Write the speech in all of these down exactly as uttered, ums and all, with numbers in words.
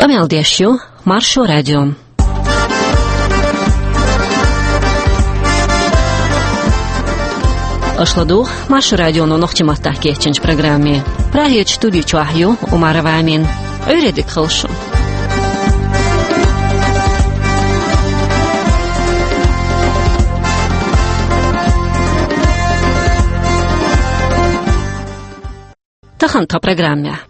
Къамел деш ю Маршо радио. Аша ладугӀу Маршо радионо нохчийн маттахь кечйинчу программе. Прагерчу студи чохь ю Умарова Амина. Ӏуьйре дика хуьлда шун. Тахана тхан программехь.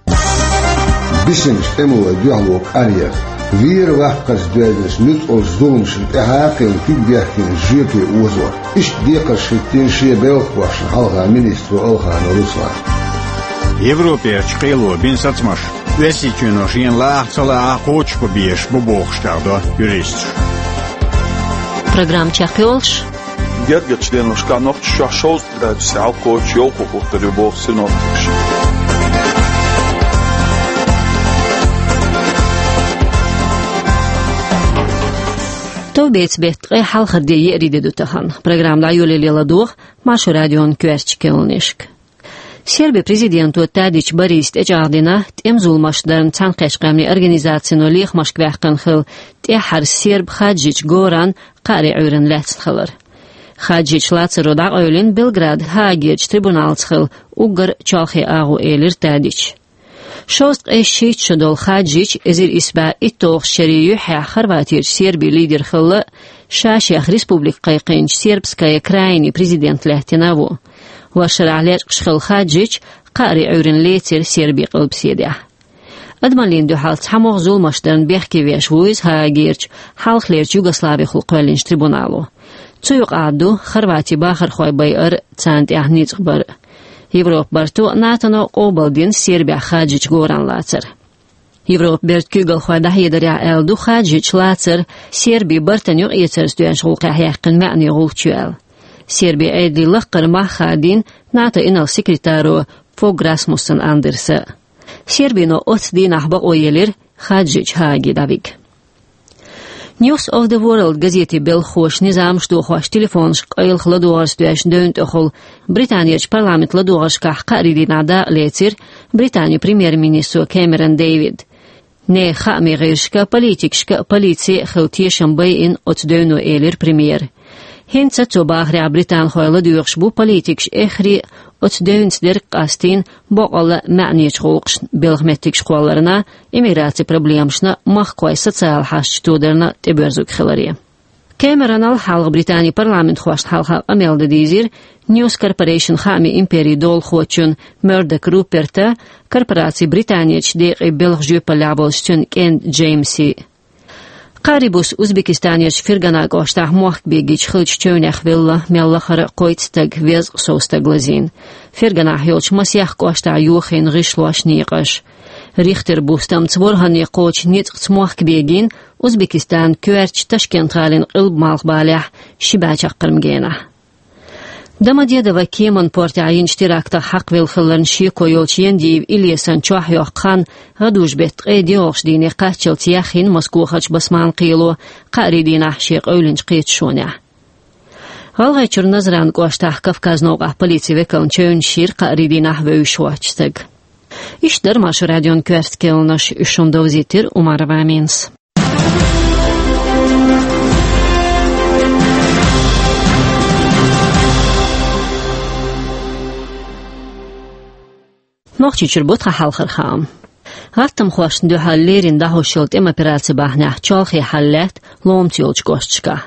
Бисинчу тӀемалойн дуьхьало кӀаръяр, вера ваккхарца доьзначу нуьцкъалчу зуламашна тӀаьхьа а кхиъна куьг бехкина жоьпе озор. Иштта декхарш хӀиттийна шен белхахошна хьалха министро Алханов Руслана. Европерчу кхело бина сацамаш Оьрсийчоьно шена лаахь а ца лаахь а кхочушбан безаш бу бохуш чӀагӀдо юристаша. Программа чекхйолуш. Гергарчу деношкахь Нохчийчохь шовзткъа градусе хьалакхочуш йовхо хӀуттур ю боху синоптикаша. Товбецан беттан ткъе хьалхара де, еарин де ду тахана. Программа дӀайолале ладогӀа Маршо радион коьртачу кхаьънашка. Сербин президенто Тадич Бориса тӀечӀагӀдина, тӀеман зуламаш дарна Цхьаьнакхеттачу Къаьмнийн Организацино лехамашка ваьккхина хилла тӀаьххьара серб Хаджич Горан кхаари Ӏуьйранна лаьцна хилар. Хаджича лацаро дӀакъевлина Белградехь Гаагерчу трибуналца хилла уггар чолхе агӀо, элира Тадича. Шовзткъе шийтта шо долу Хаджич, эзар исс бӀе итталгӀачу шерийн юьххьехь Хорватерчу Сербин лидер хилла а, ша-шех республика кхайкхийначу Сербская крайни президент лаьттина а ву. ХӀора шарахь лечкъаш хилла Хаджич кхаари Ӏуьйранна лецира Сербин къилбаседехь. Адамаллина дуьхьал цхьа могӀа зуламаш дарна бехке веш ву иза Гаагерчу, хьалхалерчу Югославехула кхоьллинчу трибунало. Цу юкъахь ду Хорватин бахархой байар а, царна тӀехь ницкъ бар а. Европан барто а, НАТОно а къобалдина Сербехь Хаджич Горан лацар. Европан бертан куьйгалхой дӀахьедарехь аьлла ду Хаджича лацар Сербин бартан юкъаэцарца доьзначу гӀуллакхехь яьккхина маьӀне гӀулч ю аьлла. Сербин Ӏедалан лаккхара мах хадийна НАТОн инарла секретаро Фог Расмуссен Андерса. Сербино оццу дийнахь бакъо елира Хаджич Гааге дӀавига. News of the World газетан белхахоша низамаш дохош телефонашка къайлаха ладогӀарца доьзначу девнна тӀехула Британерчу парламентан ладогӀаршкахь кхаари дийнахь дакъа лецира Британин премьер-министро Кэмерон Дэвида. Нехан хаамийн гӀирсашка а, политикашка а полици а хилла тешам байина оцу девно, элира премьера. ХӀинца, цо бахарехь, британхой ладоьгӀуш бу политикаш эххар а оцу девнаца дерг къастийна боккъалла а маьӀнечу гӀуллакхашна, белхан меттигаш кхолларна, иммиграцин проблемашна, махкахойн социалан хьашташ тодарна тӀебоьрзург хиларе. Кэмеронал хьалха Британин парламентхошна хьалха къамел дан дийзира News Corporation хаамийн империн долахочун Мёрдок Руперта, корпорацин Британерчу декъийн белхан жоьпаллехь болчу цуьнан кӀентан Джеймсан. Кхаарин буса Узбекистанерчу Фергана кӀоштахь мохк бегийча хиллачу чевнех велла мел лахара а кхойтта стаг, везткъа сов стаг лазийна. Ферганахь йолчу масех кӀоштахь йохийна гӀишлош, некъаш. Рихтеран бустамца ворхӀанне кхочу ницкъаца мохк бегийна Узбекистанан коьртачу Ташкент-гӀалин къилба-малхбалехь ши бӀе чаккхарма генахь. Домодедово кеманан портехь йинчу терактах хьакхавелла хиларна шеко йолчу Яндиев Илесан чохь йоккху хан гӀадужу-беттан ткъе доьалгӀачу дийне кхаччалц яхйина Москохарчу басманан кхело кхаарин дийнахь шен къевлинчу кхеташонехь. ГӀалгӀайчуьра Назран кӀоштахь Кавказ новкъахь полицин векална чевнаш йира кхаарин дийнахь вевзаш воцчу стага. Иштта дара Маршо радион коьртачу кхаьънаш, уьш шуна довзийтира Умарова Аминас. Нохчийчуьра бу тхан хьалхара хаам. ГӀаттамхошна дуьхьал леррина дӀахьош йолу тӀеман операци бахьанехь чолхе хьал лаьтта ломца йолчу кӀошташкахь.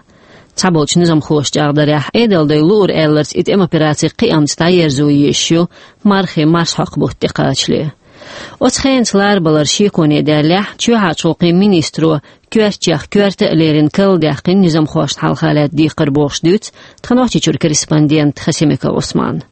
Цхьаболчу низамхоша чӀагӀдарехь, Ӏедалдайн луург аьлларца и тӀеман операци кхиамца дӀаерзо езаш ю мархин марсхьокху бутт тӀекхачале. Оцу хенаца ларбалар шеконе даьллехь, чоьхьарчу гӀуллакхийн министро коьртачех коьрта а леррина карладаьккхина низамхошна хьалха лаьтта декхар бохуш дуьйцу тхан Нохчийчуьра корреспондента Хасимиков Ӏусмана.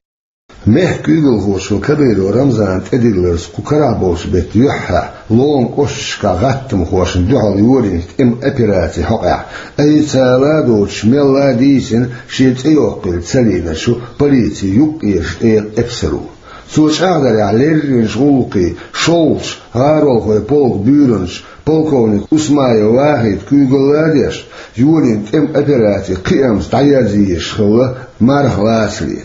Мехкан куьйгалхочо Кадыров Рамзана тӀедилларца кху карахь болчу беттан юьххьехь ломан кӀошташкахь гӀаттамхошна дуьхьал йолийначу тӀеман операцин хьокъехь, айса ца ладоцуш мелла а дийцина шен цӀе йоккхийла ца лиъначу полицин юккъерчу тӀегӀан эпсаро. Цо чӀагӀдарехь, лерринчу гӀуллакхийн шолгӀачу гӀаролхойн полкан буьйранча полковник Усмаев Вахита куьйгалла а деш, йолийна тӀеман операци кхиамца дӀаерзо езаш хилла марха лацале.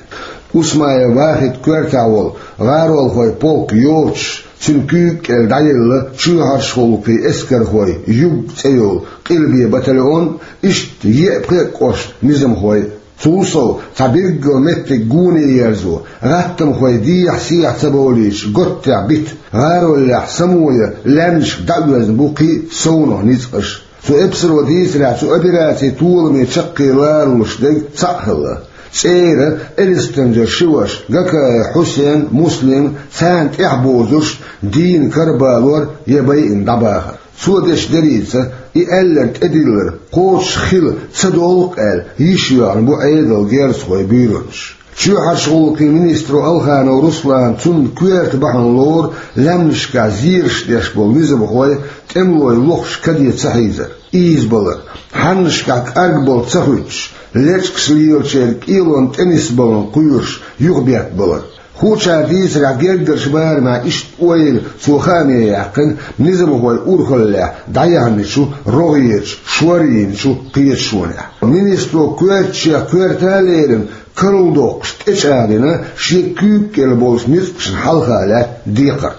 Усмаев Вахитан коьртехь волу гӀаролхойн полк йоцуш, Цуьнан куьйга кӀел дӀаелла чоьхьарчу гӀуллакхийн эскархой юг цӀе йолу къилбе батальон, иштта еа пхеа кӀошт низамхой. Цул сов, цхьа билггал меттиг гоне ерзо, гӀаттамхой дехьа-сехьа ца бовлуьйтуш, готтехь бита, гӀароллехь самоя лаьмнашка дӀаоьзна бу кхин а совнах ницкъаш. Цу эпсаро дийцарехь, цу операцин толаме чаккхе ларалуш дерг цхьаъ хилла. ЦӀера Элистанжера ши ваша, Гакаев Хьусен, Муслим, царна тӀаьхьабозуш дийна карабалор я байина дӀабахар. Цо деш деррица, и аьлларг тӀедиллар, кхочуш хила ца долу-кх аьлла, йиш йоьгӀна бу Ӏедалан герзахой буьйранаш. Чоьхьарчу гӀуллакхийн министро Алханов Руслана цунна коьрта бахьана лору лаьмнашкахь зераш деш болу низамхой тӀемалойн лохуш каде ца хьийзар, ийзабалар, хьаннашкахь кӀаргбала ца хуьттуш, лечкъаш лелачеран кӀелонан тӀе нисбаларна кхоьруш юхабеттабалар. Хуучара дийцарехь, гергарчу барамехь иштта ойла цо хааме яьккхина низамхой урхаллехь дӀаяьхьначу рогӀерачу, шор йинчу кхеташонехь. Министро коьртачех коьрта а лерина, карладоккхуш тӀечӀагӀдина шен куьйга кӀел болчу ницкъашна хьалха лаьтта декхар.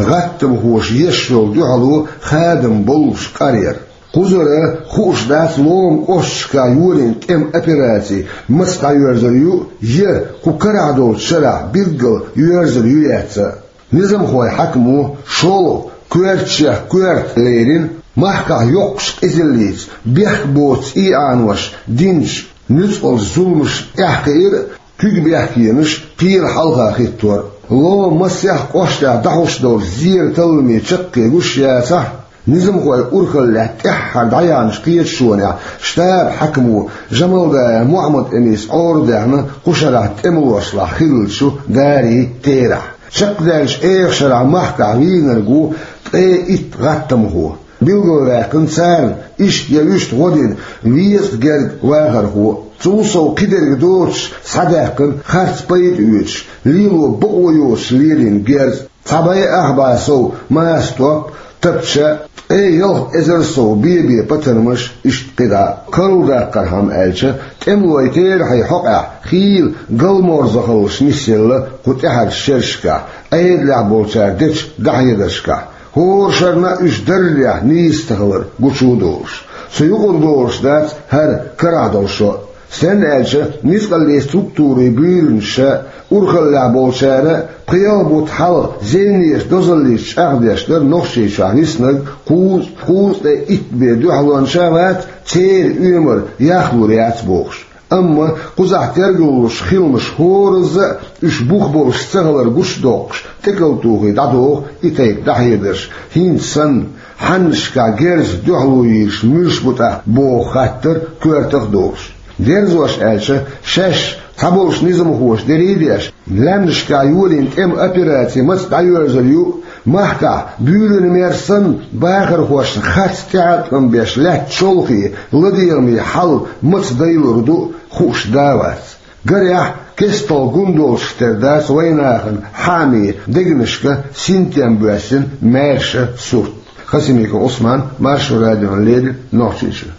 ГӀаттамхоша еш йолу дуьхьало хадам боллуш къар яра. Кхузара хууш дац Лома кӀошташкахь йолийна тӀеман операци маца дӀайоьрзур ю, я кху карахь долчу шарахь билггал йоьрзур ю, яц а. Низамхойн хьаькамо шолгӀа коьртачех коьрта лерина, махкахь йоккхачу къизаллица бехк боцу цӀий Ӏанош динчу нуьцкъалчу зуламашна тӀаьхьакхиира куьг бехкенаш кхера хьалха хӀиттор. Лома масех кӀоштехь дӀахьуш долчу зеран талламе чаккхе гуш яцахь, низамхойн урхаллехь тӀаьххьара дӀаяьхьначу кхеташонехь штабан хьаькамо Жамалдаев Мухьаммад-Эмис Ӏора даьхна кху шарахь тӀемалошлахь хиллачу дарийн терахь. Чекхдаьллачу эха шарахь махкахь вийнарг ву ткъе итт гӀаттамхо. Билгалваьккхина царна иштта я вуьшта гӀо дина везткъа гергга вахархо. Цул сов, кхидерг доцуш схьадаьккхина харц пайда оьцуш, лело бакъо йоцуш лелийна герз. Цхьа бӀе ах бӀе сов маса топ, тапча, ткъе ялх эзар сов бе-бе патармаш, иштта кхидӀа. Карладаккхархьама аьлча, тӀемалойн терахьийн хьокъехь хийла галморзахаллаш нисъелла кху тӀаьхьарчу шерашкахь, Ӏедалехь болчара дечу дӀахьедаршкахь. ХӀора шарна а уьш даррехь нийса ца хилар гучу а долуш. Цу юкъара долуш дац хӀара карахь долу шо а. Стенна аьлча, ницкъаллин структурийн буьйранаш а, урхаллехь болчара а пхи-ялх бутт хьалха зевнеша дозаллица чӀагӀдеш дара Нохчийчохь виснарг кхузткъа, кхузткъе итт бен дуьхьалонаш а вац, церан оьмар яхлур яц бохуш. Амма кхузахь тергалуш хиламаш хӀоразза а уьш бух болуш ца хилар гучудоккхуш, тӀекалтухий дӀадоху и тайпа дӀахьедарш, хӀинца санна, хьаннашкахь герзах дуьхьало йийраш муьлш бу тӀаккха боху хаттар коьртах а долуш. Дерзош аьлча, шаьш цхьаболчу низамхоша дерриг а деш, лаьмнашкахь йолийна тӀеман операци маца дӀайоьрзур ю, махкахь буьйранна мер санна бахархошна харц тӀеӀаткъам беш лаьтта чолхе, ладегӀаме хьал маца дайлур ду хууш да а вац. Гарехь, кестта гун долуш тера дац вайнахана хьаамийн дегнашка синтем боьссина маьрша сурт. Хасимиков Ӏусман, Маршо радиона леррина, Нохчийчуьра.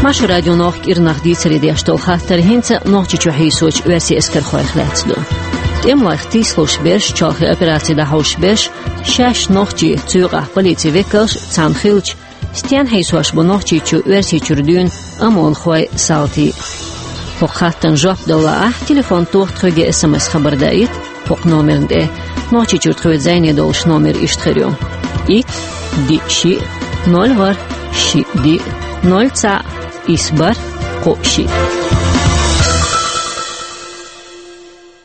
Маршо радион кӀирнах дийцаре деш долу хаттар хӀинца Нохчийчу хьийсочу оьрсийн эскархойх лаьцна ду. ТӀемалойх тийсалуш берш, чолхе операци дӀахьош берш, шаьш нохчий, цу юкъахь полицин векалш, цхьаьна хиллачу, стенна хьийсош бу Нохчийчу Оьрсийчуьра дуьйна ОМОНхой, салтий? ХӀокху хаттарна жоп дала лаахь, телефон тоха тхоьга, СМС хабар даийта хӀокху номерна тӀе. Нохчийчуьра тхоьца зӀене долуш номер иштта хир ю: итт, диъ, шиъ, ноль, ворхӀ, шиъ, диъ, ноль, цхьаъ, исс, бархӀ, кхоъ, шиъ.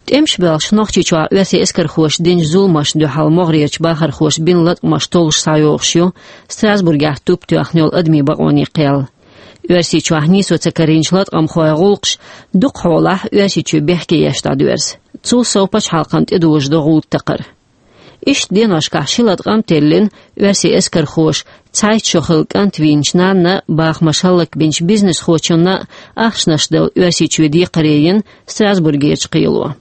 ТӀемаш боьлхуш Нохчийчохь оьрсийн эскархоша динчу зуламашна дуьхьал могӀарерчу бахархоша бина латкъамаш толлуш схьайогӀуш ю Страсбургехь туп тоьхна йолу адамийн бакъонийн кхел. Оьрсийчохь нийсо ца карийначу латкъамхойн гӀуллакхаш дукха хьолахь Оьрсийчоь бехке еш дӀадоьрзу. Цул сов, пачхьалкхана тӀедожадо гӀуда такхар. Иштта деношкахь ши латкъам а теллина, оьрсийн эскархоша цхьайтта шо хилла кӀант вийначу нанна, бахамаш хӀаллакбинчу бизнесхочунна а ахчанаш дала Оьрсийчоь декхаре йина Страсбургерчу кхело.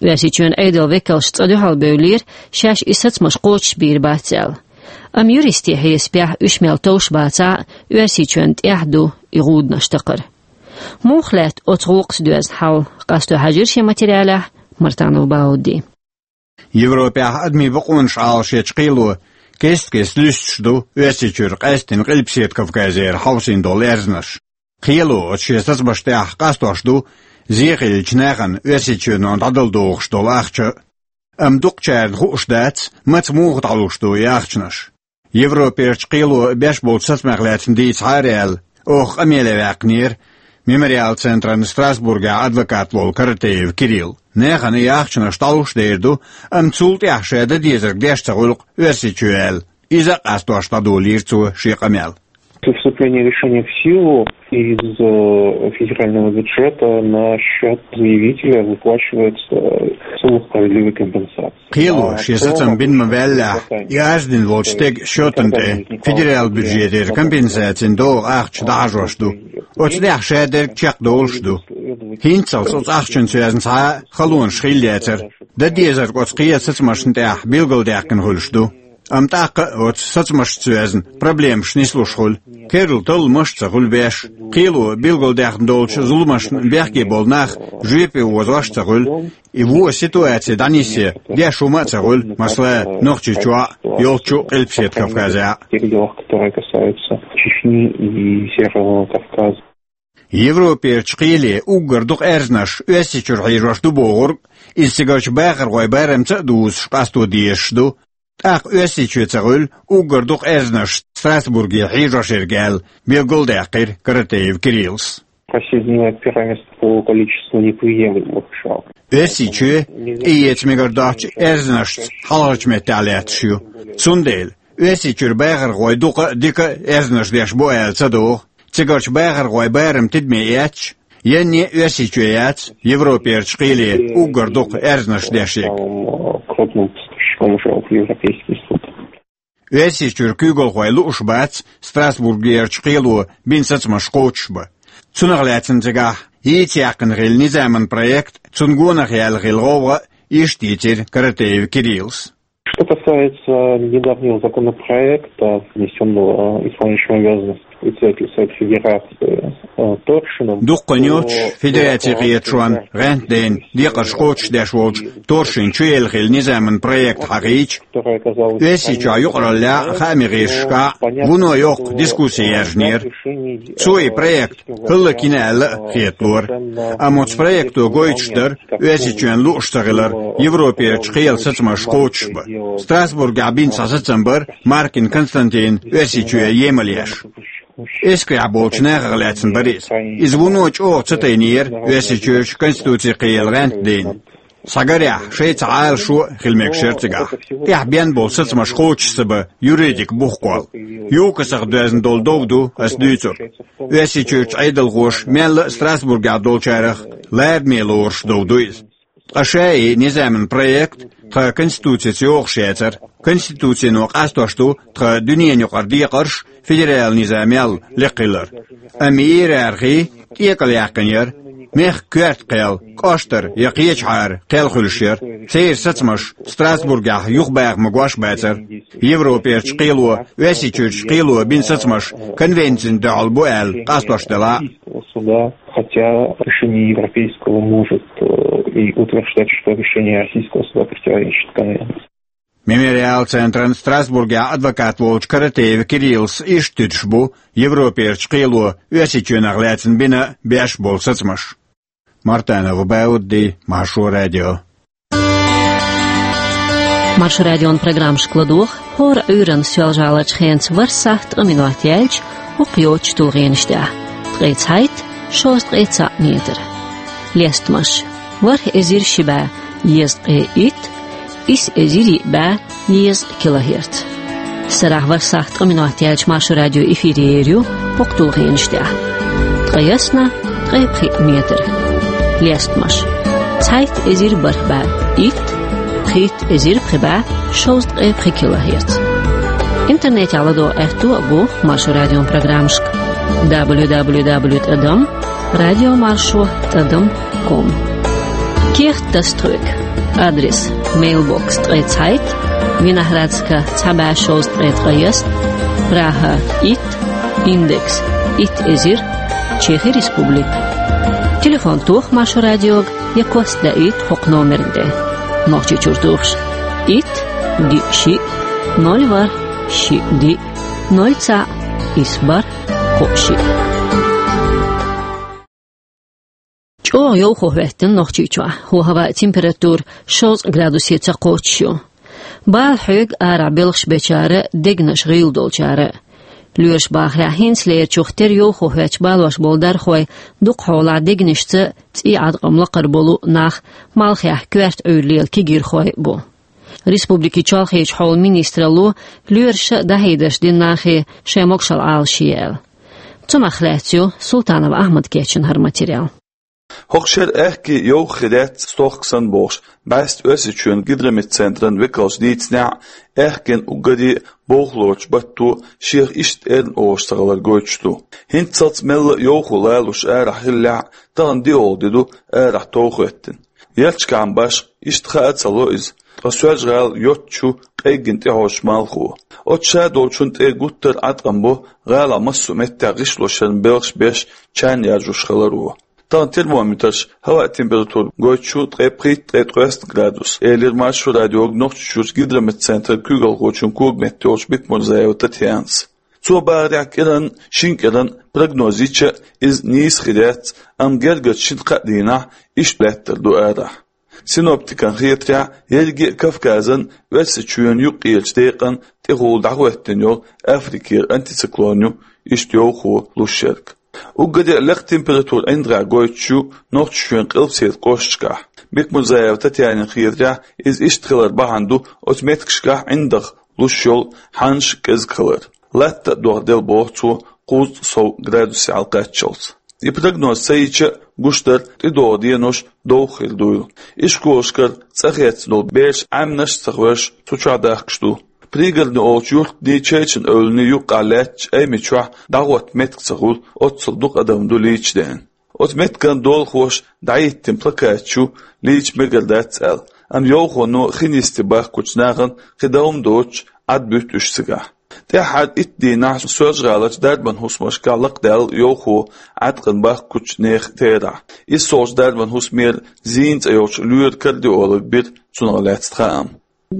Оьрсийчоьнан Ӏедалан векалш цкъа дуьхьал бевллера, шаьш и сацамаш кхочушбийр бац аьлла. Амма юристийн хьесапехь уьш мел товш бацахь а, Оьрсийчоьнна тӀехь ду и гӀуданаш такхар. Муха лаьтта оцу гӀуллакхца доьзна хьал, къасто хьаьжира шен материалехь Мартанов Баудди. Европехь адамийн бакъонаш Ӏалашъечу кхело кест-кеста луьстуш ду Оьрсийчуьра къаьсттина Къилбаседа Кавказера хьовсийна долу аьрзнаш. Кхело оцу шен сацамашна тӀехь къастош ду зен хиллачу нахана Оьрсийчоьно дӀадала догӀуш долу ахча. Амма дукхачарна хууш дац, маца муха дӀалуш ду и ахчанаш. Европерчу кхело беш болчу сацамех лаьцна дийца хьаараяьлла, оха къамеле ваьккхинера Мемориал центран Страсбургехь адвокат волу Каратеев Кирилл. Нахана и ахчанаш дӀалуш дер ду, амма цул тӀаьхьа ша дан дезарг деш ца хуьлу-кх Оьрсийчоь аьлла. Иза а къастош дӀадолийра цо шен къамел. Вступление решения в силу из э, федерального бюджета на счет заявителя выплачивается сумма справедливой компенсации. Кхело шен сацам бина ма-ваьллехь, и арз дина волчу стеган счетана тӀе федерал бюджетера компенсацин догӀу ахча дӀахьажош ду. Оцу тӀехь ша дерг чекхдолуш ду. ХӀинццалц оцу ахчанца йоьзна цхьа а халонаш хилла яцара. Дан дезарг оцу кхелан сацамашна тӀехь билгалдаьккхина хуьлуш ду. Амма тӀаккха а оцу сацамашца йоьзна проблемаш нислуш хуьлу. Керла талламаш а ца хуьлу беш. Кхело билгалдаьккхина долчу зуламашна бехке болу нах жоьпе озош а ца хуьлу. И вон ситуаци дӀанисъян деш хӀума а ца хуьлу, масала, Нохчийчохь а, йолччу Къилбаседа Кавказехь а. Тех делах, которые касаются Чечни и Северного Кавказа. Европерчу кхеле уггар дукха аьрзнаш Оьрсийчуьра хьийжош ду бохург, иза цигарчу бахархойн барамца а дузуш къасто дезаш ду. ТӀаккха Оьрсийчоь ца хуьлу уггар дукха аьрзнаш Страсбурге хьийжош ерг аьлла, билгалдаьккхира Каратеев Кириллс. Последнее первое место по количеству неприемлемых жалоб. Оьрсийчоь тӀеэца мегар доцучу аьрзнашца хьалхарчу меттехь лаьтташ ю. Цундела Оьрсийчуьра бахархой дукха а, дика а аьрзнаш деш бу аьлла ца догӀу. Цигарчу бахархойн барам тидаме эцча, янне а Оьрсийчоь яц Европерчу кхеле уггар дукха аьрзнаш деш ерг. Самым, э, крупным поставщиком жалоб в Европейский суд. Оьрсийчуьра куьйгалхой лууш бац Страсбургерчу кхело бина сацамаш кхочушбан. Цунах лаьцна цигахь йийца яьккхина хилла низаман проект, цунна гонах яьлла хилла гӀовгӀа а, иштта йийцира Каратеев Кириллс. Что касается недавнего законопроекта, внесённого исполняющим обязанности председателя Совета Федерации, э, Торшиным, дуккха йоцуш, то Федерацин кхеташонна гӀентдайна декъарш кхочушдеш волчу Торшина чу елла хилла низаман проект хьахийча, Оьрсийчохь юкъараллехь а, хаамийн гӀирсашкахь а вуно йоккха дискусси яржинера. Цо и проект хӀаллакйина аьлла а хеталора. Амма оцу проекто гойтуш дара Оьрсийчоьнан лууш ца хилар Европерчу кхелан сацамаш кхочушбан. Страсбургехь бина цхьа сацам бара Маркин Константина Оьрсийчоь емал еш. Эскарехь болчу нахах лаьцна бара иза. Иза вуно чӀогӀа ца тайнера Оьрсийчуьрчу Конституцин кхелан гӀентдайна. Схьагарехь, шайца Ӏалашо а хила мегаш яра цигахь. ТӀехь бен болу сацамаш кхочуш ца бан юридикан бух кхолла. ЮКОСах доьзна долу дов ду ас дуьйцург. Оьрсийчуьрчу Ӏедалхоша мелла а Страсбургехь долчарах лараме лоруш дов ду иза. Ткъа ша и низаман проект тхан Конституцица йогӀуш яцара. Конституцино къастош ду тхан дуьненан юкъара декъарш федералан низамел лекха хилар. Амма иерархи тӀекӀел яьккхина яра. Мехкан коьрта кхел, кӀоштара я кхечахьара кхел хуьлуш яра. Церан сацамаш Страсбургехь юхабаха магош бацара. Европерчу кхело, Оьрсийчуьрчу кхело бина сацамаш конвенцина дуьхьал бу аьлла къастош делахь а. Суда, хотя решение Европейского может, э, и утверждать, что решение Российского суда противоречит конвенции. Мемориал центран Страсбургехь адвокат волчу Каратеев Кириллс иштта туьдуш бу Европерчу кхело Оьрсийчоьнах лаьцна бина беш болу сацамаш. Мартанов Баудди, Маршо радио. Маршо радион программашка ладогӀа хӀора Ӏуьйранна соьлжа-гӀаларчу хенца ворхӀ сахьт ткъа минот яьлча, хӀокху йоцчу тулгӀенаш тӀехь: ткъе цхьайтта, шовзткъе цхьаъ метр. Лестамаш: ворхӀ эзар ши бӀе дезткъе итт, исс эзар йиъ бӀе дезткъа килогерц. Сарахь ворхӀ сахьт ткъа минот яьлча Маршо радио эфире ер ю хӀокху тулгӀенаш тӀехь: ткъайесна, ткъе пхиъ метр. Лестамаш: цхьайтта эзар бархӀ бӀе итт, пхийтта эзар пхи бӀе шовзткъе пхи килогерц. Интернетехь ладогӀа аьтто а бу Маршо радион программашка: дабл ю дабл ю дабл ю тӀадам радио маршо тӀадам ком. Кехат таса тхоьга. Адрес: мейлбокс ткъе цхьайтта, Виноградска цхьа бӀе шовзткъе ткъайесна, Прага итт, Индекс итт эзар, Чехи Республика. Телефон тоха Маршо радиога я кост даийта хӀокху номерна тӀе. Нохчийчуьра тухуш. Итт, диъ, шиъ, ноль, ворхӀ, шиъ, диъ, ноль, цхьаъ, исс, бархӀ, кхоъ, шиъ. ЧӀогӀа йовхо хӀоьттина Нохчийчохь. ХӀо-, хӀаваан температура шовзткъа градусе ца кхоччуш ю. Бала хьоьгу арахь белхаш бечара, дегнаш гӀийла долчара. Лоьраш бахарехь, хӀинцалерачух тера йовхо хӀоьттича балош болу дархой дукхахьолахь дегнашца, цӀий Ӏаткъам лакхара болу нах малхехь коьрта Ӏуьйра лела кегийрхой а бу. Республикин чолхечу хьолан министралло лоьраша дӀахьедарш дина нахе шайн могушалла Ӏалашъе аьлла. Цунах лаьцна ю Султанов Ахьмада кечйина хӀара материал. ХӀокху шеран аьхке йовха хир яц стохка санна бохуш, бӀаьста Оьрсийчоьнан гидрометцентран векалша дийцинехь а, аьхкенан уггаре а бовхалочу батто шех иштта эрна олуш ца хилар гойтуш ду. ХӀинццалц мелла а йовхо лалуш арахь хиллехь а, тахана диъолгӀа де ду арахь тов хӀоьттина. Ярташкахь башха иштта хаа ца ло иза, ткъа Соьлжа-ГӀала йоццуш ю къеггина тӀехьожучу малхо. Оцу ша долчунна тӀе гуттар а Ӏаткъам бо гӀалахь массо а меттехь гӀишлошъяран белхаш беш, чарна яржош хиларо. Тахана термометраш хӀаваан температура гойтуш ю ткъе пхийтта, ткъе ткъоьсна градус, элира Маршо радиога Нохчийчуьрчу гидрометцентран куьйгалхочун когаметта йолчу Бекмурзаева Татьянас. Цо бахарехь, кӀиранна, шина кӀиранна прогноз йича а, иза нийса хир яц, амма гергарчу шина-кхаа дийнахь иштта лаьттар ду арахь. Синоптикан хетарехь, ерриге а Кавказан, Оьрсийчоьнан юккъерачу декъан тӀехула дӀахӀоьттина йолу Африкера антициклон ю иштта йовхо луш ерг. Уггаре а лекха температура ӀиндагӀехь гойтуш ю Нохчийчоьнан къилбаседа кӀошташкахь. Бекмурзаева Татьянина хетарехь, иза иштта хиларан бахьана ду оцу меттигашкахь ӀиндагӀ луш йолу хьанаш кӀезиг хилар. Латта а дохделла, боху цо, кхузткъа сов градусе хьалакхаччалц. И прогноз ца йича а, гуш дара, тӀедогӀу денош довха хир дуйла. Ишколашкара цӀа хецна долу бераш Ӏаьмнаш а ца хевшина, цу чохь дахкаш ду. Пригородни олучу юьртан, Чечан-Эвлан юккъехь лаьттачу Аймачохь дӀахӀотта меттиг ца хуьлу, оццул дукха адам ду лийча деана. Оцу меттиган долахоша дӀахӀиттина плакаташ ю, лийча мегар дац аьлла, амма йовхоно хин йисте бахкучу нахана кхин дан хӀума доцуш, Ӏад буьту уьш цигахь. ТӀаьххьара итт дийнахь Соьлжа-ГӀаларчу дарбан хӀусамашкахь лакхадаьлла йовхо Ӏаткъам бахкучу нехан терахь. ИссолгӀачу дарбан хӀусамера Зина цӀе йолчу лоьран кардиолог бира цунах лаьцна хаам.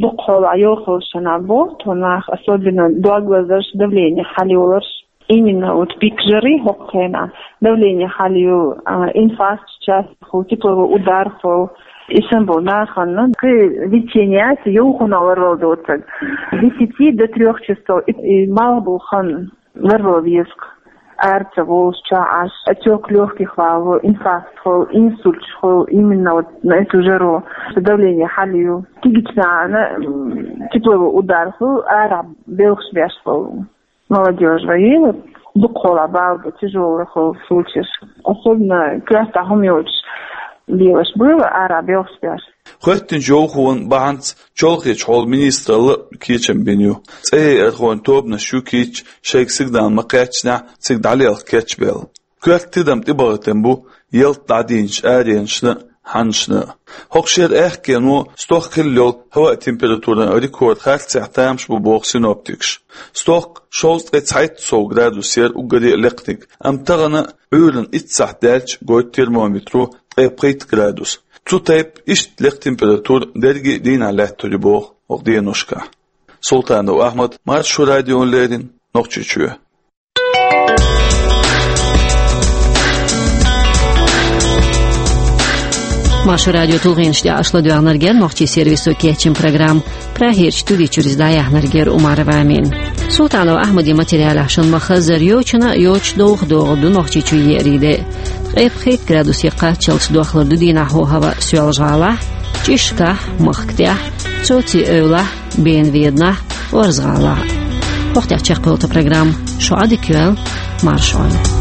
Дукхахьолахь йовхаллаш шайна бу тхо нах, особенно дог лазарш, давление хьалайоларш. Именно вот пик жары хӀокху хенахь давление хьалайо, а, инфаркт часто хуьлу, тепловой удар хуьлу. И санна болу нахана кхин витине яц, йовхонах ларвала доцург. Десяти до трёх часов и, и малх болу хан ларвала веза-кх. Ара ца волуш, чохь Ӏаш, отёк лёгких валаво, инфаркт хуьлу, инсульташ хуьлу, именно вот на эту жару. Давление хьалайо. Кегийчу нахана, м, тепловой удар хуьлу, арахь белхаш беш хуьлу. Молодёжь вай, вот, дукхахьолахь бала бу, тяжёлый хуьлу случаеш. Особенно коьртахь хӀума йоцуш лелаш бу, арахь белхаш беш. ХӀоьттинчу йовхонан бахьанца чолхечу хьолан министралла а кечам бина ю. ЦӀе яьрхойн тобанаш ю кийча, шайга сигнал ма-кхаьччинехь, цига дӀалелха кечбелла. Коьрта тидам тӀебахийтина бу ялта дӀадийначу аренашна а, хьанашна а. ХӀокху шеран аьхкено стохка хилла йолу хӀаваан температуран рекорд харцехь тамаш бу, боху синоптикаша. Стохка шовзткъе цхьайтта сов градус яра уггаре а лекханиг, амма тахана Ӏуьйранна итт сахьт даьлча гойту термометро ткъе пхийтта градус. Цу тайпа иштта лекха температура дерриге а дийнахь лаьттар ю, боху, хӀокху деношкахь. Султанов Ахьмад, Маршо радиона леррина, Нохчийчоь. Маршо радион тулгӀенаш тӀехь аша ладоьгӀнарг яра нохчийн сервисо кечйина программа. Прагерчу студи чуьра иза дӀаяьхьнарг яра Умарова Амина. Султанов Ахьмадан материалехь шуна ма-хаззара йочана а йоцуш довха догӀур ду Нохчийчу еарин де. Ткъе пхийтта градусе кхаччалц дохлур ду дийнахь хӀаваъ Соьлжа-ГӀалахь, ЧӀишкахь, Махка тӀехь, Цоци-Эвлахь, Бена-Веданахь, Орза-ГӀалахь. ХӀокху тӀехь чекхйолу тхан программа. Шу Ӏадика йойла, марша Ӏойла.